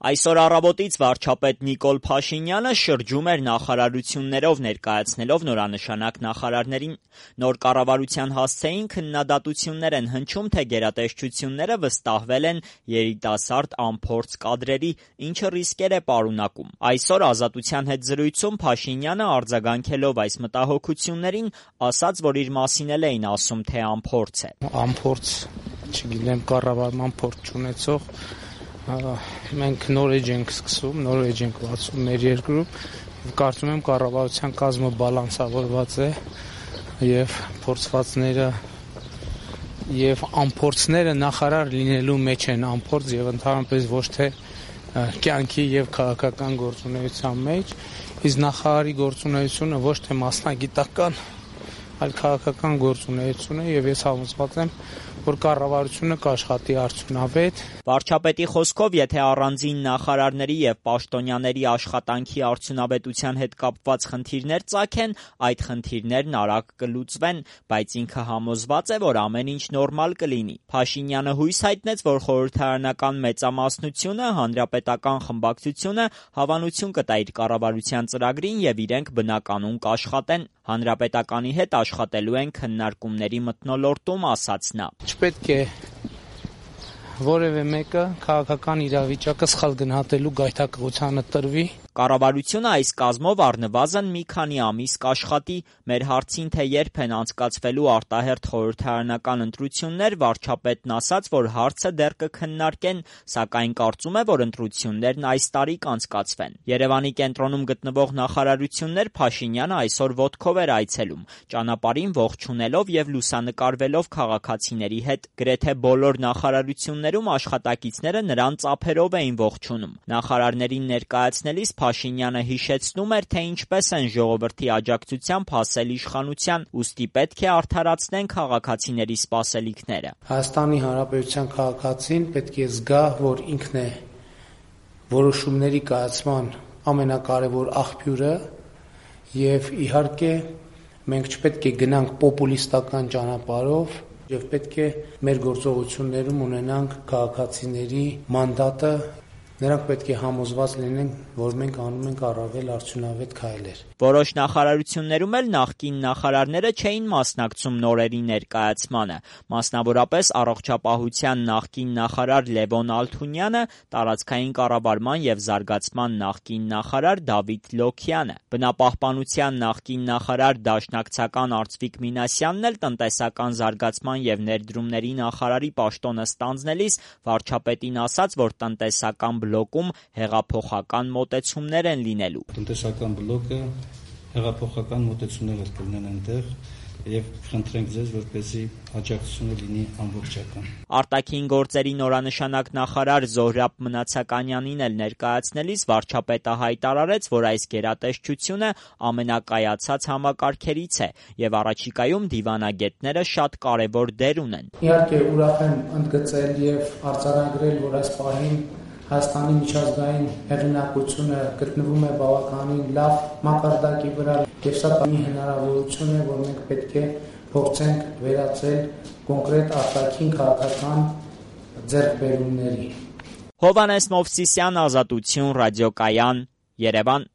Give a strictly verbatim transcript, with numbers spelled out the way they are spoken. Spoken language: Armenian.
Այսօր առավոտից վարչապետ Նիկոլ Փաշինյանը շրջում էր նախարարություններով, ներկայացնելով նորանշանակ նախարարներին։ Նոր կառավարության հասցեին քննադատություններ են հնչում, թե գերատեսչությունները վստահվել են երիտասարդ անփորձ կադրերի, ինչը ռիսկեր է պարունակում։ Այսօր Ազատության հետ զրույցում Փաշինյանը, արձագանքելով այս մտահոգություններին, ասաց, որ իր մասին էլ էին ասում, թե անփորձ է։ Անփորձ, չգիտեմ, կառավարման փորձ չունեցող մենք նոր էջ ենք սկսում, նոր էջ ենք բացում մեր երկրում, կարծում եմ կառավարության կազմը բալանսավորված է եւ փորձվածները եւ անփորձները նախարար լինելու մեջ են, անփորձ եւ ընդհանրապես ոչ թե կյանքի եւ քաղաքական գործունեության մեջ, իսկ նախարարի գործունեությունը ոչ թե մասնագիտական, այլ քաղաքական գործունեություն է եւ ես համոզված եմ, որ կառավարությունը կաշխատի արդյունավետ։ Վարչապետի խոսքով, եթե առանձին նախարարների եւ պաշտոնյաների աշխատանքի արդյունավետության հետ կապված խնդիրներ ծագեն, այդ խնդիրներն արագ կլուծվեն, բայց ինքը համոզված է, որ ամեն ինչ նորմալ կլինի։ Փաշինյանը հույս հայտնեց, որ խորհրդարանական մեծամասնությունը, հանրապետական խմբակցությունը հավանություն կտա իր կառավարության ծրագրին եւ իրենք բնականում կաշխատեն։ Հանրապետականի հետ աշխատելու են քննարկումների մթնոլորտում, ասաց նա։ Չպետք է որևէ մեկը քաղաքական իրավիճակը սխալ գնահատելու գայթակղությանը տրվի։ Կառավարությունը այս կազմով առնվազն մի քանի ամիս կաշխատի։ Մեր հարցին, թե երբ են անցկացվելու արտահերթ խորհրդարանական ընտրություններ, վարչապետն ասաց, որ հարցը դեռ կքննարկեն, սակայն կարծում է, որ ընտրություններն այս տարի կանցկացվեն։ Երևանի կենտրոնում գտնվող նախարարություններ Փաշինյանը այսօր ոտքով էր այցելում, ճանապարհին ողջունելով եւ լուսանկարվելով քաղաքացիների հետ։ Գրեթե բոլոր նախարարություններում աշխատակիցները նրան ծափերով էին ողջունում։ Նախարարներին ներկայացնելիս Փաշինյանը հիշեցնում էր, թե ինչպես են ժողովրդի աջակցությամբ հասել իշխանության, ուստի պետք է արդարացնեն քաղաքացիների սպասելիքները։ Հայաստանի Հանրապետության քաղաքացին պետք է զգա, որ ինքն է որոշումների կայացման ամենակարևոր աղբյուրը եւ իհարկե մենք չպետք է գնանք պոպուլիստական ճանապարհով եւ պետք է մեր գործողություններում ունենանք քաղաքացիների մանդատը։ Նրանք պետք է համոզված լինեն, որ մենք անում ենք առավել արդյունավետ քայլեր։ Որոշ նախարարություններում էլ նախկին նախարարները չէին մասնակցում նորերի ներկայացմանը։ Մասնավորապես առողջապահության նախկին նախարար Լևոն Ալթունյանը, տարածքային կառավարման եւ զարգացման նախկին նախարար Դավիթ Լոքյանը, բնապահպանության նախկին նախարար դաշնակցական Արծվիկ Մինասյանն էլ տնտեսական զարգացման եւ ներդրումների նախարարի պաշտոնը ստանձնելիս վարչապետին ասաց, որ տնտեսական բլոկում հեղափոխական մոտեցումներ են լինելու։ Տնտեսական բլոկը հեղափոխական մոտեցումներ կլինեն այնտեղ եւ խնդրենք ձեզ, որպեսզի աջակցությունը լինի ամբողջական։ Արտաքին գործերի նորանշանակ նախարար Զոհրաբ Մնացականյանին էլ ներկայացնելիս վարչապետը հայտարարեց, որ այս գերատեսչությունը ամենակայացած համակարգերից է եւ առաջիկայում դիվանագետները շատ կարեւոր դեր ունեն։ Իհարկե ուրախ եմ ընդգծել եւ արձանագրել, որ այս պահին Հայաստանի միջազգային հեղինակությունը գտնվում է բավականին լավ մակարդակի վրա եւ սա մի հնարավորություն է, որ մենք պետք է փորձենք վերածել կոնկրետ արտաքին քաղաքական ձեռքբերումների։ Հովհաննես Մովսիսյան, Ազատություն, ռադիոկայան, Երևան։